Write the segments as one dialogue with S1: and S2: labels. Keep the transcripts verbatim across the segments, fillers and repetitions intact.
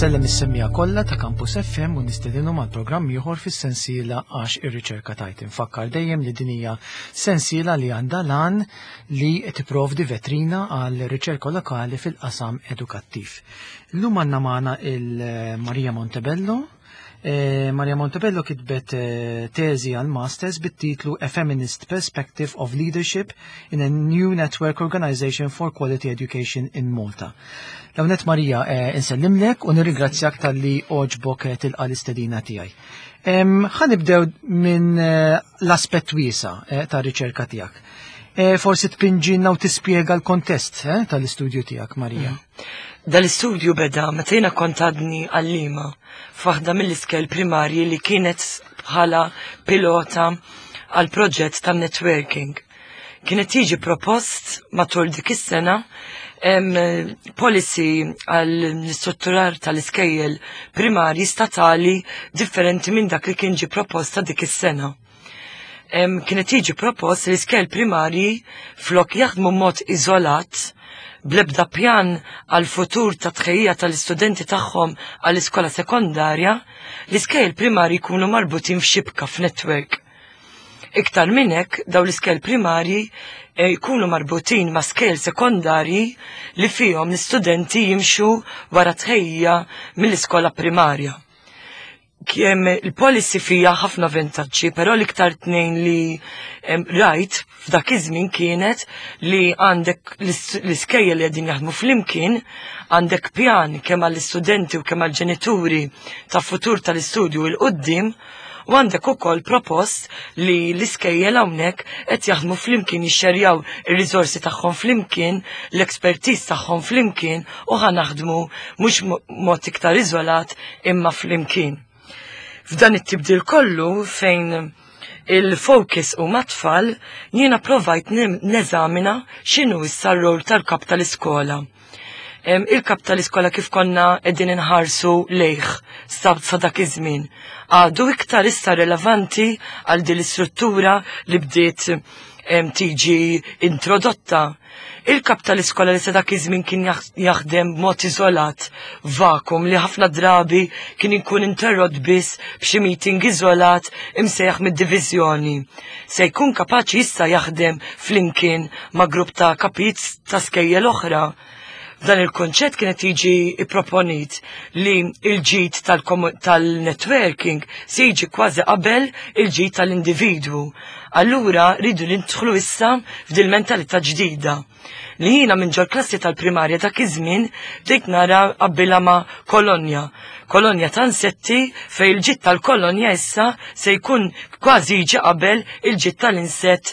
S1: Insellem is-semmiegħa kollha ta' Campus F M u nistedinhom għal programm ieħor fis-sensiela Għax ir-Riċerka Tgħid. Infakkar dejjem li din hija sensiela li għandha l-għan li tipprovdi vetrina għal riċerka lokali fil-qasam edukattiv. Illum għandna magħna il-Maria Montebello. Eh, Maria Montebello kitbet eh, teżi għal masters bit-titlu "A Feminist Perspective of Leadership in a New Network Organization for Quality Education in Malta". L-ewwelnett, Maria, eh, insellimlek u nirringrazzjak talli għoġbok eh, tilqa l-istedina tiegħi. Ħa nibdew minn eh, l-aspett wiesa' eh, ta' riċerka tiegħek. Eh, forsi tpinġinna u tispjega l-kontest eh, tal-istudju tiegħek, Maria.
S2: Dal-istudju beda meta jiena kont għadni għallima f'waħda mill-iskejjel primarji li kienet bħala pilota għal proġett ta' networking. Kienet jiġi propost matul dik is-sena em, policy għal strutturar tal-iskejjel primarji statali differenti minn dak li kien ġi proposta dik is-sena. Em, kienet jiġi propost li l-iskejjel primarji, flok jaħdmu mod iżolat, blebda pjan għal futur ta' tħejja tal-istudenti tagħhom għall iskola sekondarja, l-iskejjel primarji jkunu marbutin f'xibka, f'network. Iktar minn hekk, daw l-iskejjel primarji eh, jkunu marbutin ma' skejjel sekondarji li fihom l-istudenti jimxu wara tħejja mill-iskola primarja. Kem il-policy fija ħafna vantaġġi, però l-iktar tnejn li em, rajt f'dak iż-żmien kienet li għandek l-is- l-iskejjel li qegħdin jaħdmu flimkien, għandek pjan kemm għall-istudenti u kemm għall-ġenituri ta' futur tal-istudju 'l quddiem, u għandek ukoll propost li l-iskejjel hawnhekk qed jaħdmu flimkien, jixxerjaw ir-riżorsi tagħhom flimkien, l-expertise tagħhom flimkien u ħa naħdmu mhux mo- mod iktar iżolat imma flimkien. F'dan it-tibdil kollu fejn il-focus hu mat-tfal, jiena provajt nim- neżamina x'inhu issa r-rol tal-kap tal-iskola. Em, Il-kap tal-iskola kif konna qegħdin inħarsu lejh sa sa dak iż-żmien għadu iktar issa relevanti għal din l-istruttura li bdiet em, tiġi introdotta? Il-kap tal-iskola li sa dak iż-żmien kien jaħ- jaħdem b'mod iżolat, vakum li ħafna drabi kien ikun interrott biss b'xi meeting iżolat imsejjaħ mid-diviżjoni, se jkun kapaċi issa jaħdem flimkien ma' grupp ta' kapijiet ta' skejjel oħra? Dan il-konċett kienet jiġi proponit li il-ġid tal-komu- tal-networking se jiġi kważi qabel il-ġid tal-individwu. Allura rridu nidħlu issa f'dil mentalità ġdida li jiena minn ġol klassi tal-primarja dak iż-żmien bdejt nara qabbilha ma' kolonja. Kolonja ta' insetti fejn il-ġid tal-kolonja issa se jkun kważi jiġi qabel il-ġid tal-insett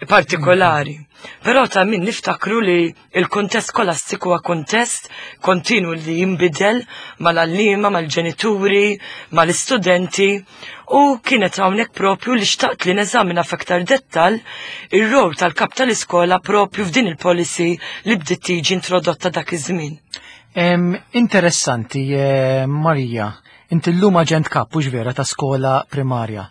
S2: partikolari. Però ta' min niftakru li il-kontest skolastiku huwa kontest kontinu li jinbidel mal-għalliema, mal-ġenituri, mal-istudenti, u kienet hawnhekk propju li xtaqt li neżamina f'aktar dettal ir-rol tal-kap tal-iskola propju f'din il-policy li bdiet tiġi introdotta dak iż-żmien.
S1: Em, interessanti, eh, Maria, inti llum aġent kap, hux vera, ta' skola primarja.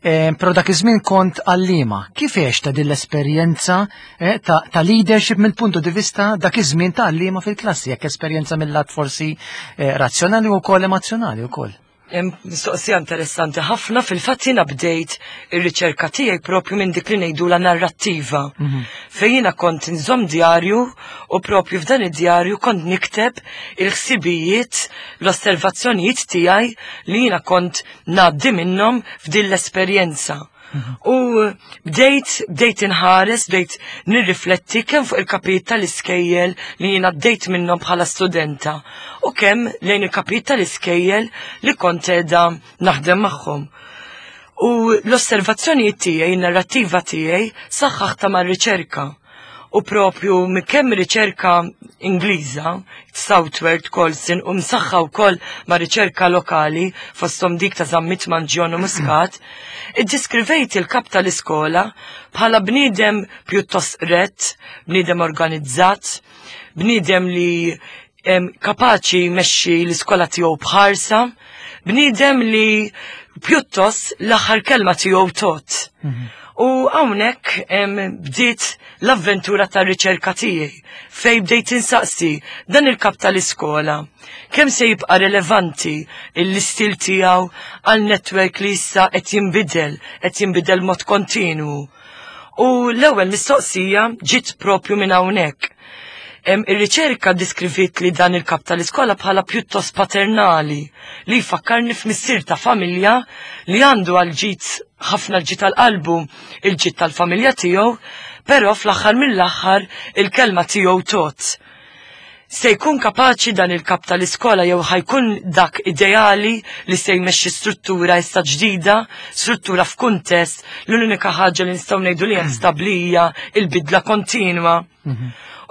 S1: Eh, Però dak iż-żmien kont għallima. Kif ta' din l-esperjenza eh, ta', ta' leadership mill-puntu di vista dak iż-żmien ta' għallima fil-klassi, jekk esperjenza mill-lat forsi eh, razzjonali u wkoll emozjonali wkoll?
S2: Hemm mistoqsija interessanti ħafna. Fil-fatt jiena bdejt ir-riċerka tiegħi propju minn dik li ngħidu la narrattiva. Fejn jiena kont nżomm djarju u propju f'dan id-djarju kont nikteb il-ħsibijiet, l-osservazzjonijiet tiegħi li jiena kont ngħaddi minnhom f'din l-esperjenza. U bdejt, bdejt inħares, bdejt nirrifletti kemm fuq il-kapijiet tal-iskejjel li jiena bdejt minnhom bħala studenta u kemm lejn il-kapijiet tal-iskejjel li kont qiegħda naħdem magħhom. U l-osservazzjonijiet tiegħi, in-narrattiva tiegħi saħħaħtha mar-riċerka. U propju minn kemm riċerka Ingliża, Southworth, Colson, u msaħħa wkoll ma' riċerka lokali fosthom dik ta' Zammit Mangion u Muscat, iddiskrivejt il-kap tal-iskola bħala bniedem pjuttost rett, bniedem organizzat, bniedem li em, kapaċi jmexxi l-iskola tiegħu bħarsa, bniedem li pjuttost l-aħħar kelma tiegħu tot. U hawnhekk bdiet l-avventura tar-riċerka tiegħi fejn bdejt insaqsi dan il-kap tal-iskola kemm se jibqa' relevanti l-istil tiegħu għal network li issa qed jinbidel, qed jinbidel mod kontinwu. U l-ewwel mistoqsija ġiet propju minn hawnhekk. Ir-riċerka diskrivit li dan il-kap tal-iskola bħala pjuttost paternali li jfakkarni f'missier ta' familja li għandu għal ġid ħafna l-ġid tal-qalbu il-ġid tal-familja tiegħu, però fl-aħħar mill-aħħar il-kelma tiegħu tot. Se jkun kapaċi dan il-kap tal-iskola jew ħajkun dak ideali li se jmexxi struttura issa ġdida, struttura f'kuntest l-unika ħaġa li nistgħu ngħidu li hemm stabbli hija il-bidla kontinwa.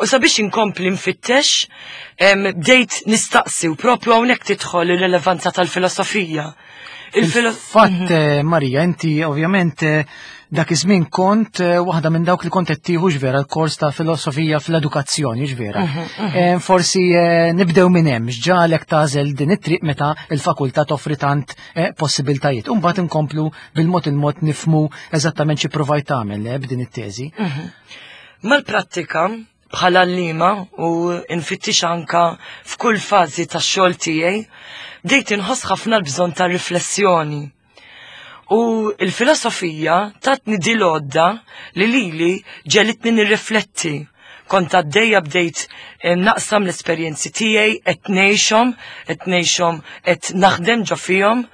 S2: U sabiex inkompli nfittex, bdejt nistaqsi u propju hawnhekk tidħol ir-relevanza tal-filosofija.
S1: Il-fatt, Marija, inti ovvjament dak iż-żmien kont waħda minn dawk li kont qed tieħu vera l-kors ta' filosofija fl-edukazzjoni, vera. Forsi nibdew minn hemm, x'ġagħlek tagħżel din it-triq meta l-fakultà toffri tant possibiltajiet. U mbagħad inkomplu bil-mod il-mod nifhmu eżattament xi provajt tagħmel b'din it-teżi.
S2: Mal-prattika bħala għalliema u nfittix anka f'kull fażi tax-xogħol tiegħi, bdejt inħoss ħafna l-bżonn ta' riflessjoni. U l-filosofija tatni di l-għodda li lili ġelitni nirrifletti. Kont għaddejja bdejt naqsam l-esperjenzi tiegħi, qed ngħixhom, qed ngħixhom, qed naħdem ġo fihom,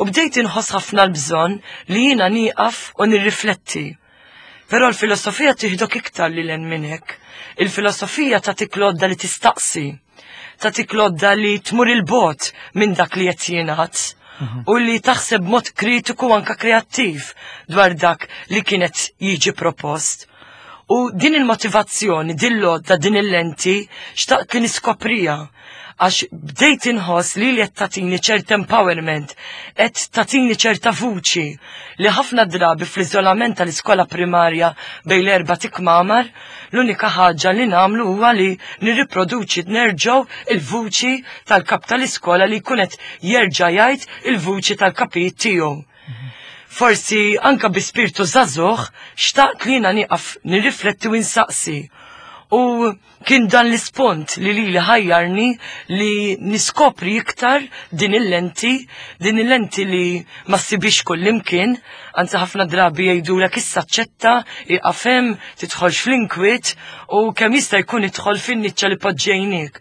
S2: u bdejt inħoss ħafna l-bżonn li jiena nieqaf u nirrifletti. Però l-filosofija tieħdok iktar lil hemm minn hekk. Il-filosofija tagħtik l-għodda li tistaqsi, tagħtik l-għodda li tmur il-bogħod minn dak li qed jingħad u li taħseb mod kritiku anka kreattiv dwar dak li kienet jiġi propost. U din il-motivazzjoni, din l-għodda, din il-lenti, xtaqt li niskoprija għax bdejt inħoss li li qed tagħtini ċert empowerment, qed tagħtini ċerta vuċi li ħafna drabi fl-iżolament tal-iskola primarja bejn l-erba' tikmamar, l-unika ħaġa li nagħmlu huwa li nirriproduċi nerġgħu il-vuċi tal-kap tal-iskola li jkun qed jerġa' jgħid il-vuċi tal-kapijiet tiegħu. Forsi anka bi spirtu żagħżugħ xtaqt li jiena nieqaf nirrifletti u nsaqsi. U kien dan l-ispont li li li ħajjarni li niskopri iktar din il-lenti, din il-lenti li ma ssibix kullimkien, anzi ħafna drabi jgħidulek issa ċetta, iqafem, tidħolx fl-inkwiet u kemm jista' jkun idħol fin-niċċa li poġġejnik.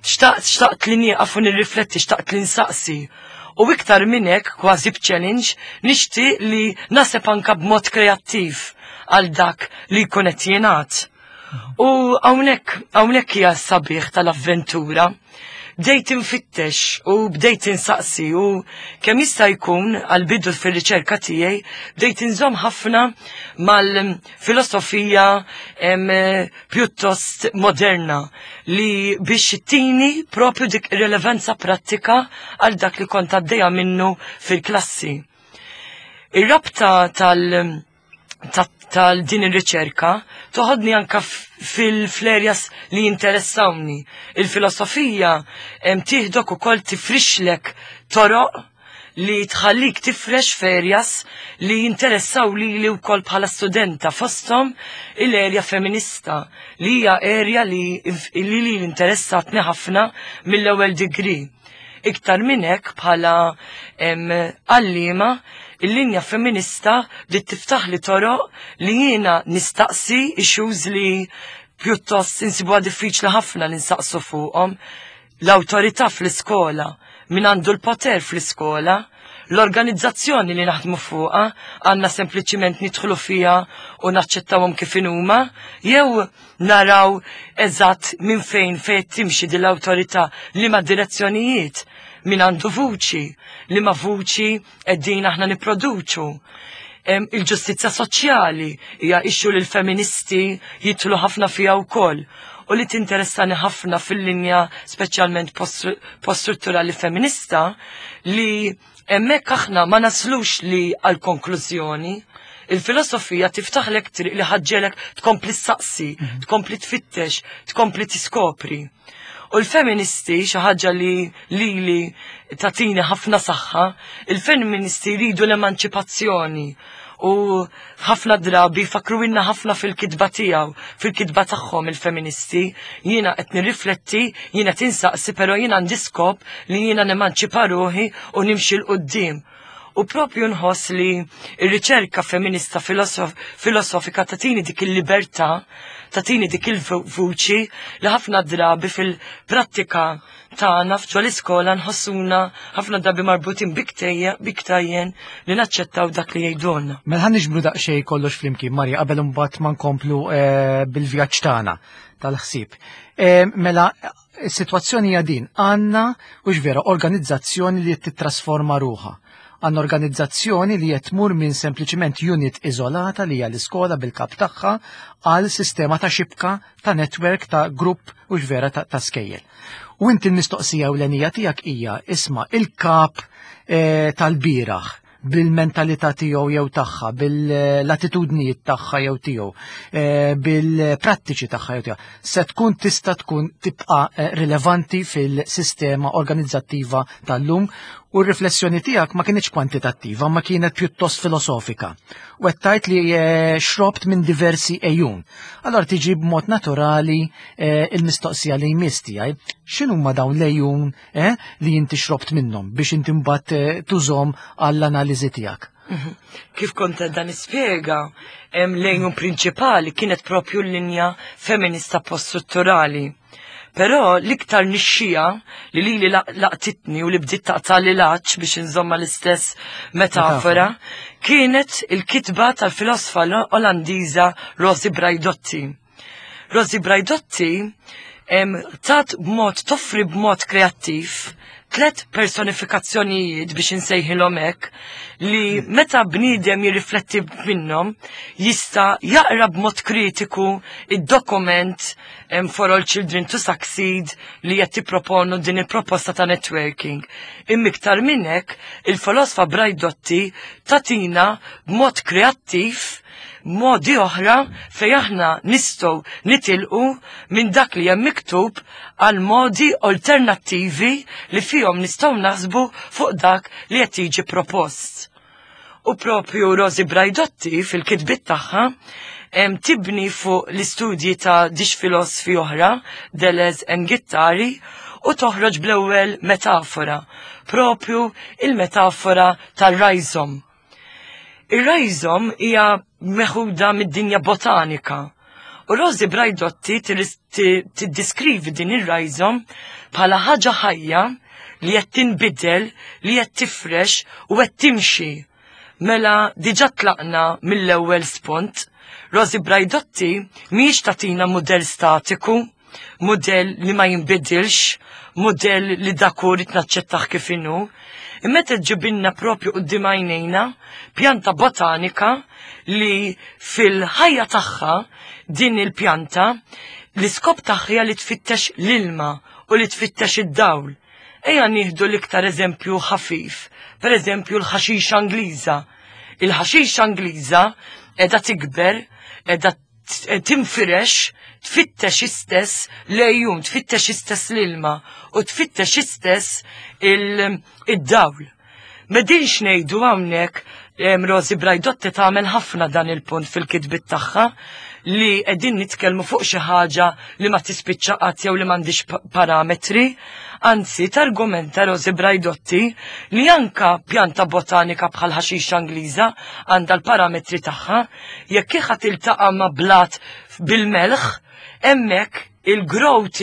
S2: Xtaqt, xtaqt li nieqaf u nirrifletti, xtaqt li nsaqsi. U iktar minn hekk, kważi b'challenge, nixtieq li naseb anka b'mod kreattiv għal dak li jkun qed jingħad. U hawnhekk, hawnhekk hija s-sabiħ tal-avventura. Bdejt infittex u bdejt insaqsi u kemm jista' jkun għall-bidu fir-riċerka tiegħi bdejt inżomm ħafna mal-filosofija pjuttost moderna li biex tini propju dik ir-relevanza prattika għal dak li kont għaddejja minnu fil-klassi. Ir-rabta tal- tal din ir-riċerka toħodni anka fil-flerjas li jinteressawni. Il-filosofija tieħdok ukoll tifrixlek toroq li tħallik tifrex ferjas li jinteressaw li li wkoll bħala studenta fosthom il-erja femminista li hija erja li li li interessatni ħafna mill-ewwel degree. Iktar minn hekk bħala għalliema il-linja femminista li tiftaħ li toroq li jiena nistaqsi issues li pjuttost insibuha diffiċli ħafna li nsaqsu fuqhom. L-awtorità fl-iskola, min għandu l-poter fl-iskola, l-organizzazzjoni li naħdmu fuqha għandna sempliċiment nidħlu fiha u naċċettawhom kif inhuma, jew naraw eżatt minn fejn fejn timxi din l-awtorità, liema direzzjonijiet, min għandu vuċi, liema vuċi qegħdin aħna nipproduċu. Il-ġustizzja soċjali hija issue li l-feministi jidħlu ħafna fiha wkoll u li tinteressani ħafna fil-linja speċjalment post-strutturali femminista li hemmhekk aħna ma naslux li għal konklużjoni. Il-filosofija tiftaħlek triq li ħaġġelek tkompli ssaqsi, tkompli tfittex, tkompli tiskopri. U l-feministi, xi ħaġa li lili tatini ħafna saħħa, il-feministi jridu l-emanċipazzjoni. U ħafna drabi fakruwilna ħafna fil-kitba tiegħu, fil-kitba tagħhom il-feministi. Jiena qed nirrifletti, jiena tinsaqsi, però jiena għandi skop li jiena nemanċipa ruħi u nimxi 'l quddiem. U propju nħoss li r-riċerka femminista filosof filosofika tatini dik il-libertà, tatini dik il-vuċi li ħafna drabi fil-prattika tagħna f'ġo l-iskola nħossuna ħafna drabi marbutin bi ktajjen li naċċettaw dak li jgħidulna.
S1: Mela ħa niġbru daqsxejn kollox flimkien, Marja, qabel imbagħad ma nkomplu eh, bil-vjaġġ tagħna tal-ħsieb. Eh, mela, is-sitwazzjoni hija din, għandna u vera organizzazzjoni li titrasforma ruħha. Għandna organizzazzjoni li qed tmur minn sempliċiment unit iżolata li hija l-iskola bil-kap tagħha għal sistema ta' xibka, ta' network, ta' grupp u vera ta', ta' skejjel. U inti l-mistoqsija ewlenija tiegħek hija, isma', il-kap eh, tal-bieraħ bil-mentalità tiegħu jew tagħha, bil-attitudnijiet tagħha jew tiegħu, eh, bil-prattiċi tagħha jew tiegħu, se tkun tista' tkun tibqa' eh, rilevanti fil-sistema organizzattiva tal-lum? U r-riflessjoni tiegħek ma kienx kwantitattiva, ma kienet pjuttost filosofika. U qed tgħid li eh, xrobt minn diversi ejjun. Allora tiġi b'mod naturali il-mistoqsija li jmiss tiegħi, x'inhuma dawn l-ejjun li inti xrobt minnhom biex inti mbagħad tużhom għall-analiżi tiegħek?
S2: Mhm. Kif kont dan ispjega, l-ejjun prinċipali kienet propju l-linja femminista post-strutturali. Però l-iktar nixxija li li li laqtitni u li bdiet taqta li laċ, biex inżomma l-istess metafora, kienet il-kitba tal-filosfa Olandiża Rosi Braidotti. Rosi Braidotti tat b'mod toffri b'mod kreattiv tlet personifikazzjonijiet, biex insejħilhom hekk, li meta bniedem jirrifletti minnhom jista' jaqra b'mod kritiku id-dokument For All Children to Succeed li qed tipproponu din il-proposta ta' networking. Imma iktar minn hekk, il-filosfa Braidotti tatina b'mod kreattiv modi oħra fej aħna nistgħu nitilqu minn dak li hemm miktub għal modi alternattivi li fihom nistgħu naħsbu fuq dak li qed jiġi propost. U propju Rosi Braidotti fil-kitbit tagħha tibni fuq l-istudji ta' żewġ filosfi oħra, Deleuze and Guattari, u toħroġ bl-ewwel metafora, propju il-metafora tal-rhizome. Ir-rhizome hija meħuda mid-dinja botanika. U Rosi Braidotti tiddiskrivi din ir-rhizome bħala ħaġa ħajja li qed tinbidel, li qed tifrex u qed timxi. Mela diġà tlaqna mill-ewwel spunt. Rosi Braidotti mhijiex tagħtina mudell statiku, mudell li ma jinbidilx, mudell li dak hu naċċettah kif inhu. Imma ġibinna propju quddiem għajnejna pjanta botanika li fil-ħajja tagħha din il-pjanta l-iskop tagħha li tfittex l-ilma u li tfittex id-dawl. Ejja nieħdu l-iktar eżempju ħafif, per eżempju l-ħaxixa Ingliża. Il-ħaxixa Ingliża qiegħda tikber, qiegħda tinfirex, tfittex istess l-għejun, tfittex istess l-ilma u tfittex istess id-dawl. M'qegħdinx ngħidu hawnhekk, Rosi Braidotti tagħmel ħafna dan il-punt fil-kitbit tagħha, li qegħdin nitkellmu fuq xi ħaġa li ma tispiċċa qatt jew li m'għandix parametri. Anzi, targumenta Rosi Braidotti li anka pjanta botanika bħal ħaxixa Ingliża għandha l-parametri tagħha. Jekk kieħa tiltaqa' ma' blat bil-melħ, hemmhekk il-growth,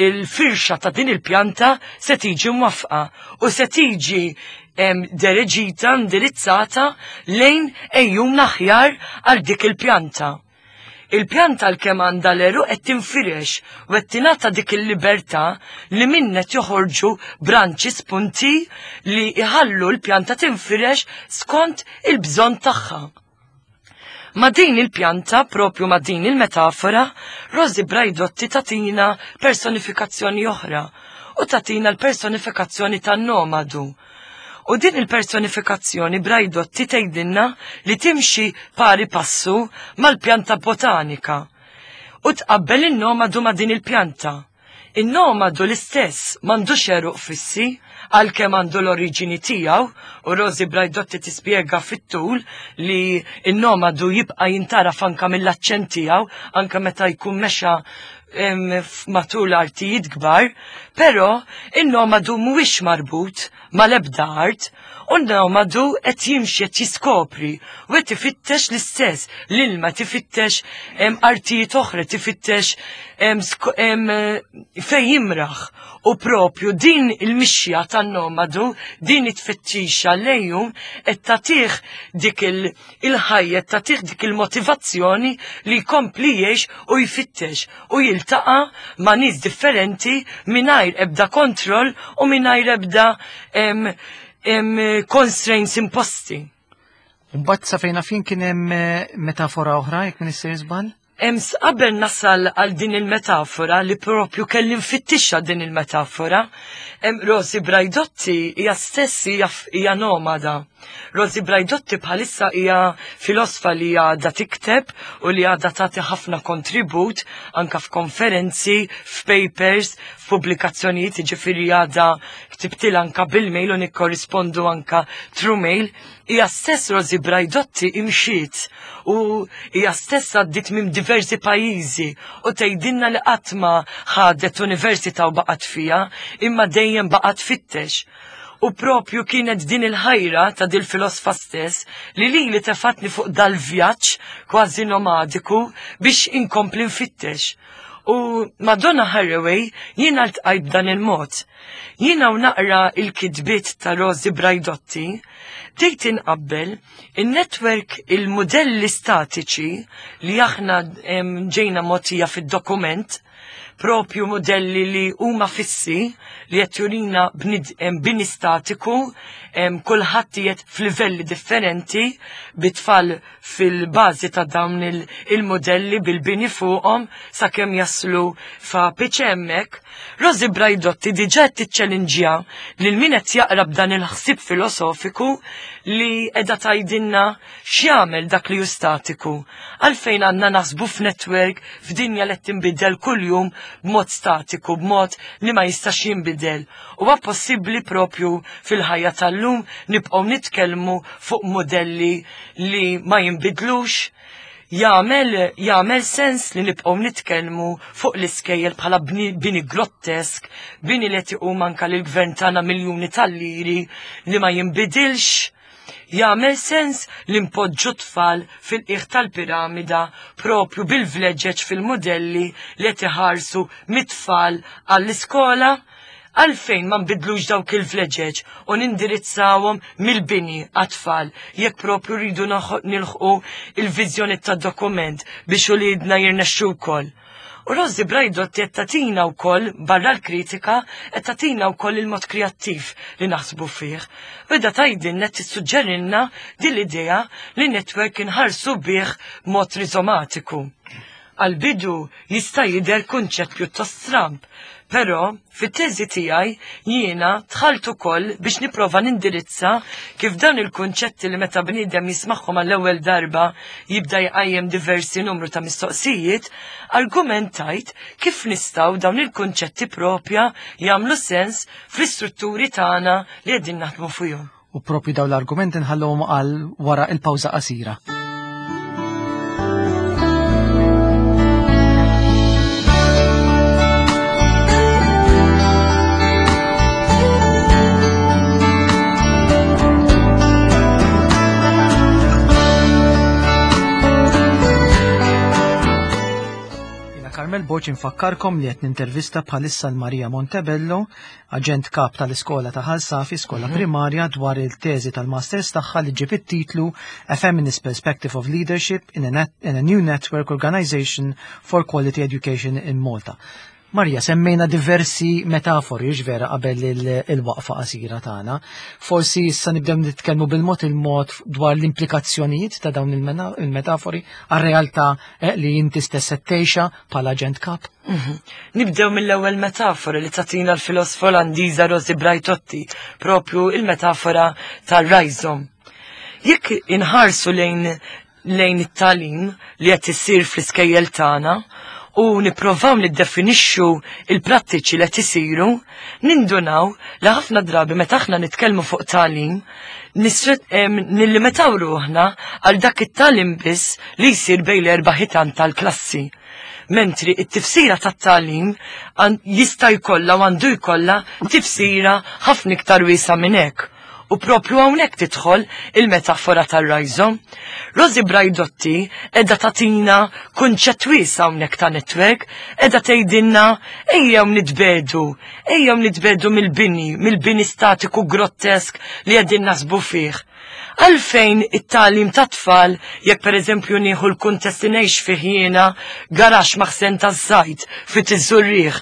S2: il-firxa ta' din il-pjanta se tiġi mwafqa u se tiġi dereġita, indirizzata lejn ejjun aħjar għal dik il-pjanta. Il-pjanta l-kem għandha l-għeruq qed tinfirex u qed tingħata dik il-libertà li minnet joħorġu branċi, spunti li iħallu l-pjanta tinfirex skont il-bżonn tagħha. Ma din il-pjanta, propju ma din il-metafora, Rosi Braidotti tatina personifikazzjoni oħra u tatina l-personifikazzjoni tan-nomadu. U din il-personifikazzjoni Braidotti tgħidilna li timxi pari passu mal-pjanta botanika u tqabbel in-nomadu ma' din il-pjanta. In-nomadu l-istess m'għandux għeruq fissi, għalkemm għandu l-oriġini tiegħu, u Rosi Braidotti tispjega fit-tul li n-nomadu jibqa' jintaraf anka mill-aċċent tiegħu, anka meta jkun mexa matul artijiet kbar, però in-nomadu mhuwiex marbut mal-ebda art, u n-nomadu qed jimxi, qed jiskopri u qed ifittex l-istess l-ilma, tifittex artijiet oħra, tifittex fejn jimraħ. U propju din il-mixja tan-nomadu, din it-tfittixa lejhom qed tagħtih dik il-ħajja, tagħtih dik il-motivazzjoni li jkompli jgħix u jfittex u jiltaqa' ma' nies differenti mingħajr ebda kontroll u mingħajr ebda constraints imposti.
S1: Mbagħad sa fejn fin kien hemm metafora oħra jekk min issir żball?
S2: Ems qabel nasal għal din il-metafora li propju kelli nfittixa din il-metafora, Rosi Braidotti hija stess hija nomada. Rosi Braidotti bħalissa hija filosfa li għadha tikteb u li għadha tagħti ħafna kontribut anka f'konferenzi, f'papers, f'pubblikazzjonijiet, jiġifieri għadha ktibtilha anka bil-mail u nikkorrispondu anka through mail. Hija stess Rosi Braidotti imxiet u hija stess għaddiet minn diversi pajjiżi u tgħidilna li qatt ma ħadet università u baqgħet fiha, imma dejjem baqgħet fittex. U propju kienet din il-ħajra ta' dil filosfa stess li li li tefatni fuq dal-vjaġġ kważi nomadiku biex inkompli nfittex. U Madonna Haraway jiena ltqajt b'dan il-mod. Jiena u naqra il-kitbiet ta' Rosi Braidotti, bdejt inqabbel il-network, il-modelli statiċi li aħna ġejna mogħtija fid-dokument, propju modelli li huma fissi li qed jurina bini statiku, kulħadd qiegħed f'livelli differenti bit-tfal fil-bażi ta' dawn il-modelli bil-bini fuqhom sakemm jaslu fa' hemmhekk. Rosi Braidotti diġà qed tiċċellinġja lil min qed jaqra b'dan il-ħsieb filosofiku li qiegħda tgħidilna x'jagħmel dak li hu statiku. Għalfejn għandna naħsbu f'network f'dinja li qed tinbidel kuljum b'mod statiku, b'mod li ma jistax jinbidel. Huwa possibbli propju fil-ħajja tal-lum nibqgħu nitkellmu fuq modelli li ma jinbidlux? Jagħmel jagħmel sens li nibqgħu nitkellmu fuq l-iskejjel bħala bini grottesk, bini li qed iqum anke lill-gvern tagħna miljuni tal-liri li ma jinbidilx? Jagħmel sens li npoġġu tfal fil-qiegħ tal-piramida propju bil-vleġeġ fil-modelli li qed iħarsu mit-tfal għall-iskola? Għalfejn ma nbidlux dawk il-vleġeġ u nindirizzawhom mill-bini għat-tfal jekk propju rridu nilħqu il-viżjoni tad-dokument biex uliedna jirnexxu wkoll. U Rosi Braidotti qed tagħtina wkoll barra l-kritika, qed tagħtina wkoll il-mod kreattiv li naħsbu fih. Beda tgħidilna qed tissuġġerilna din l-idea li network inħarsu bih mod rizomatiku. Għal-bidu jista' jidher kunċett pjuttost stramb, però fit-teżi tiegħi jiena dħalt ukoll biex nipprova nindirizza kif dan il-kunċetti li meta bniedem jismagħhom għall-ewwel darba jibda jqajjem diversi numru ta' mistoqsijiet, argumentajt kif nistgħu dawn il-kunċetti propja jagħmlu sens fl-istrutturi tagħna li qegħdin naħdmu fuqhom.
S1: U propju dawn l-argumenti nħallhom għal wara il-pawża qasira. Carmel Borg infakkarkom li qed nintervista bħalissa l-Maria Montebello, aġent kap tal-iskola ta' Ħal Safi, skola
S2: Mhm.
S1: primarja, dwar il-teżi tal-masters tagħha li ġib it-titlu A Feminist Perspective of Leadership in a, Net in a New Network Organization for Quality Education in Malta. Maria, semmejna diversi metafori vera qabel il-waqfa qasira tagħna. Forsi issa nibdew nitkellmu bil-mod il-mod dwar l-implikazzjonijiet ta' dawn il-metafori għar-realtà li inti stess qed tgħixha bħala aġent kap.
S2: Mhm. Nibdew mill-ewwel metafora li tagħtina l-filosfa Olandiża Rosi Braidotti, propju il-metafora tar-rhizome. Jekk inħarsu lejn lejn it-tagħlim li qed isir fl-iskejjel tagħna, u nipprovaw niddefinixxu il-prattiċi li qed isiru, nindunaw li ħafna drabi meta aħna nitkellmu fuq tagħlim, nillimitaw ruħna għal dak it-tagħlim biss li jsir bejn l-erba' ħitan tal-klassi. Mentri it-tifsira tat-tagħlim jista' jkollha u għandu jkollha tifsira ħafna iktar wiesgħa minn hekk. U propju hawnhekk tidħol il-metafora tar-rhizome. Rosi Braidotti qiegħda tagħtina kunċett wiesa' hawnhekk ta' network, qiegħda tgħidilna ejjew nitbedu, ejjew nitbedu mill-bini, mill-bini statiku grottesk li qegħdin naħsbu fih. Għalfejn it-tagħlim ta' tfal, jekk pereżempju nieħu l-kuntest li ngħix fih jiena, garaxx maħsen taż-żajt fit iż-Żurrieq,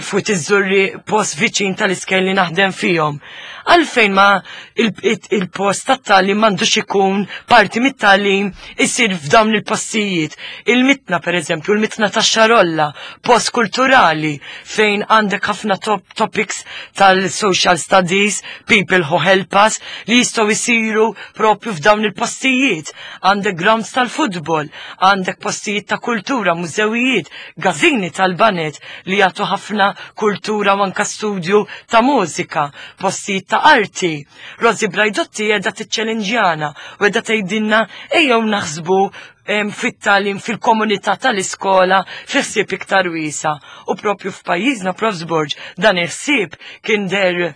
S2: fit iż-Żurrieq post viċin tal-iskejjel li naħdem fihom. Għalfejn ma il-post tat-tagħlim m'għandux ikun parti mit-tagħlim isir f'dawn il-postijiet. Il-Mitna pereżempju, il-Mitna tax-Xarolla, post kulturali fejn għandek ħafna top topics tal-social studies, people who help us, li jistgħu jsiru propju f'dawn il-postijiet. Għandek grounds tal-futbol, għandek postijiet ta' kultura, mużewijiet, gazini tal-banet li jagħtu ħafna kultura u anka studju ta' mużika, postijiet ta' arti. Rosi Braidotti qiegħda tiċċelenġjana u qiegħda tgħidilna ejjew naħsbu fit-tagħlim fil-komunità tal-iskola fi ħsieb iktar wiesa. U propju f'pajjiżna, Profs Borg, dan il-ħsieb kien der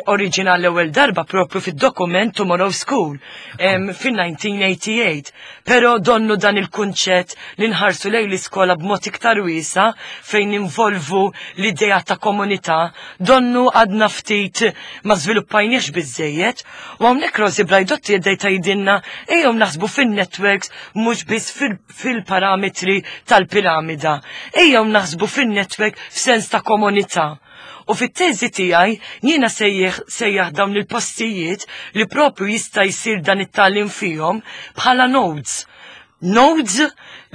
S2: oriġinal l-ewwel darba propju fid-dokument Tomorrow School fin-nineteen eighty-eight. Però donnu dan il-kunċett li nħarsu lejn l-iskola b'mod iktar wiesa fejn involvu l-idea ta' komunità, donnu għadna ftit ma żviluppajniex biżejjed. U hawnhekk Rosi Braidotti qiegħda tgħidilna ejjew naħsbu fin-networks mhux biss fil-parametri tal-piramida. Ejjew naħsbu fin-network f'sens ta' komunità. U fit-teżi tiegħi jiena sejjaħ sejjaħ dawn il-postijiet li propju jista' jsir dan it-tagħlim fihom bħala nodes. Nodes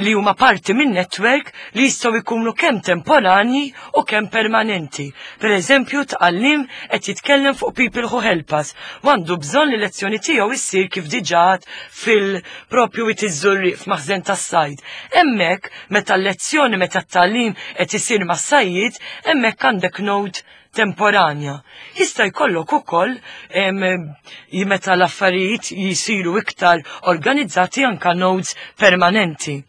S2: li huma parti minn network li jistgħu jkunu kemm temporani u kemm permanenti. Per eżempju, tgħallim qed jitkellem fuq people who help us. Għandu bżonn li lezzjoni tiegħu issir kif diġà fil-propju Wied iż-Żurrieq f'maħżen tas-sajd. Hemmhekk meta l-lezzjoni, meta t-tagħlim qed isir mas-sajjied, hemmhekk għandek node temporanja. Jista' jkollok ukoll meta l-affarijiet jisiru iktar organizzati anka nodes permanenti.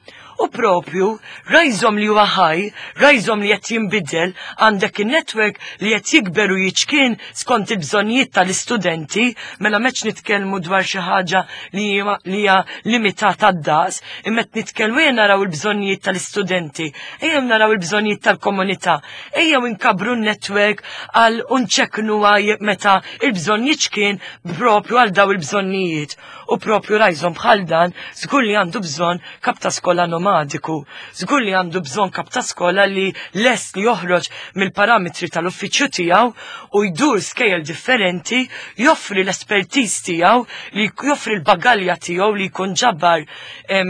S2: U propju, rhizome li huwa ħaj, rhizome li qed jinbidel, għandek il-network li qed jikber u jiċkien skont il-bżonnijiet tal-istudenti, mela m'hemmx nitkellmu dwar xi ħaġa li hija limitata d-daqs, imma qed nitkellmu ejja naraw il-bżonnijiet tal-istudenti, ejja naraw il-bżonnijiet tal-komunità, ejja nkabru n-network għal unċeknu meta il-bżonn jiċkien propju għal daw il-bżonnijiet. U propju rhizome bħal dan, żgur li għandu bżonn kap ta' skola nomadiku, żgur li għandu bżonn kap ta' skola li lest li joħroġ mill-parametri tal-uffiċċju tiegħu u jdur skejjel differenti, joffri l-espertiż tiegħu, li joffri l-bagalja tiegħu li jkun ġabar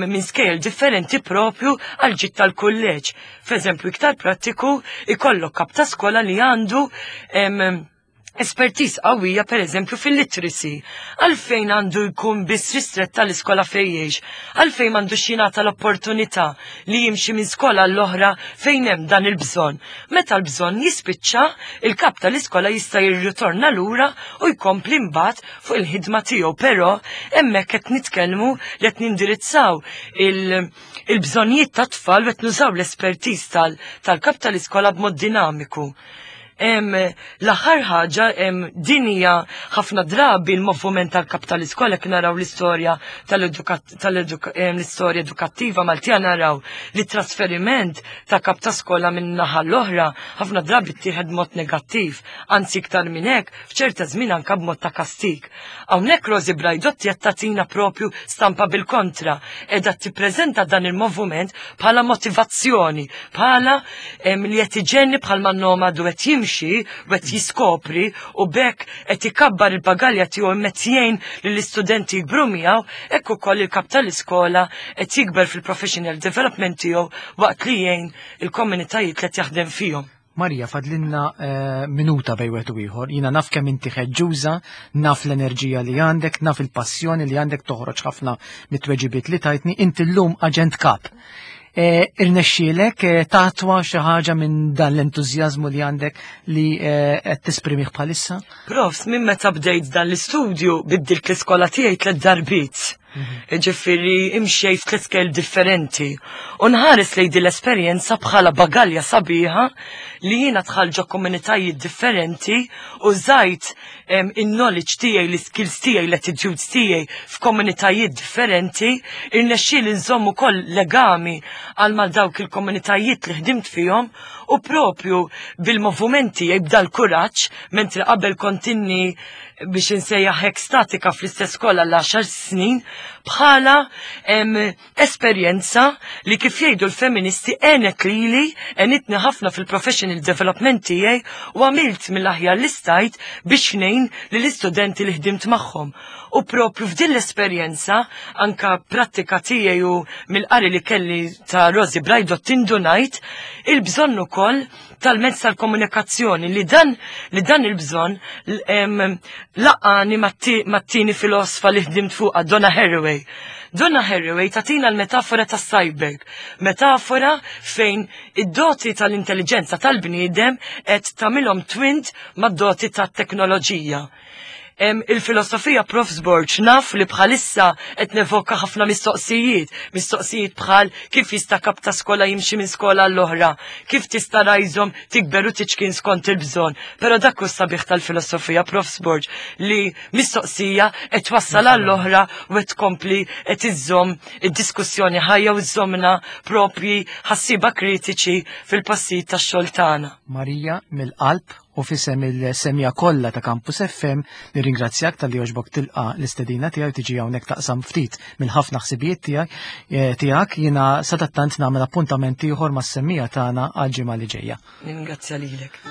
S2: minn skejjel differenti propju għal ġid tal-kulleġġ. F'eżempju iktar prattiku, ikollok kap ta' skola li għandu espertiż qawwija per eżempju fil-literacy. Għalfejn għandu jkun biss ristret tal-iskola fejjex? Għalfejn m'għandux jingħata l-opportunità li jimxi minn skola l-oħra fejn hemm dan il-bżonn? Meta l-bżonn jispiċċa, il-kap tal-iskola jista' jirritorna lura u jkompli mbagħad fuq il-ħidma tiegħu, però hemmhekk qed nitkellmu li qed nindirizzaw il-bżonnijiet tat-tfal u qed nużaw l-espertiż tal-kap tal-iskola b'mod dinamiku. L-aħħar ħaġa, din hija ħafna drabi l-moviment tal-kap tal-iskola, kien naraw l-istorja tal-istorja edukattiva Maltija, naraw li trasferiment ta' kap ta' skola minn naħa l-oħra ħafna drabi ttieħed mod negattiv, anzi iktar minn hekk f'ċerta żmien anke b'mod ta' kastig. Hawnhekk Rosi Braidotti qed tagħtina propju stampa bil-kontra, qiegħda tippreżenta dan il-moviment bħala motivazzjoni, bħala li qed iġenni bħalma nomadu qed jimxi u qed jiskopri u bekk qed ikabbar il-bagalja tiegħu qed jgħin lill-istudenti jikbru miegħu, hekk ukoll il-kap tal-iskola qed jikber fil-professional development tiegħu waqt li jgħin il-komunitajiet li qed jaħdem fihom.
S1: Marija, fadlinna eh, minuta bejn wieħed u ieħor. Jiena naf kemm inti ħeġġuża, naf l-enerġija li għandek, naf il-passjoni li għandek toħroġ ħafna mit-tweġibiet li tajtni. Inti llum aġent kap. Eh, irnexxielek eh, tatwa xi ħaġa minn dan l-entużjażmu li għandek li eh, qed tesprimih bħalissa?
S2: Profs, minn meta bdejt dan l-istudju biddilt l-iskola tiegħi tliet darbiet. Ġifieri imxejt f'tliet skejjel differenti. U nħares lejn din l-esperjenza bħala bagalja sabiħa li jiena dħalt ġo komunitajiet differenti u użajt in-knowledge tiegħi, l-skills tiegħi, l-attitudes tiegħi f'komunitajiet differenti, irnexxieli nżomm ukoll legami għal mal dawk il-komunitajiet li ħdimt fihom u propju bil-movimenti tiegħi b'dal kuraġġ, mentri qabel kontinni biex insejjaħ hekk statika fl-istess skola l-għaxar snin, bħala em, esperjenza li, kif jgħidu l-feministi, għenet lili, għenitni ħafna fil-professional development tiegħi u għamilt mill-aħjar li stajt biex ngħin lill-istudenti li ħdimt magħhom. U propju f'din l-esperjenza, anka prattika tiegħi u mill-qari li kelli ta' Rosi Brajdott, indunajt il-bżonn ukoll tal-mezz tal-komunikazzjoni li dan li dan il-bżonn em, laqqagħni mat-tieni filosofa li ħdimt fuqha, Donna Haraway. Donna Haraway tatina l-metafora ta' cyborg, metafora fejn id-doti tal-intelligenza tal-bniedem qed tagħmilhom twinned mad-doti tat-teknoloġija. Em, il-filosofija, Profs Borg, naf li bħalissa qed nevoka ħafna mistoqsijiet, mistoqsijiet bħal kif jista' kap ta' skola jimxi minn skola l-oħra, kif tista' rajżhom tikber u tiċkien skont il-bżonn. Però dak hu sabiħ tal-filosofija, Profs Borg, li mistoqsija qed twassal għall-oħra u qed tkompli qed iżżomm id-diskussjoni ħajja u żżommna propji ħassiba kritiċi fil-passijiet tax-xogħol tagħna.
S1: Marija, mill-qalb u f'isem il-semmiegħa kollha ta' Campus F M nirringrazzjak talli għoġbok tilqa l-istedina tiegħi, tiġi hawnhekk taqsam ftit mill-ħafna ħsibijiet tiegħek eh, tiegħek Jiena sadattant nagħmel appuntament ieħor mas-semmiegħa tagħna għal ġimgħa li ġejja.
S2: Ningrazzja lilek.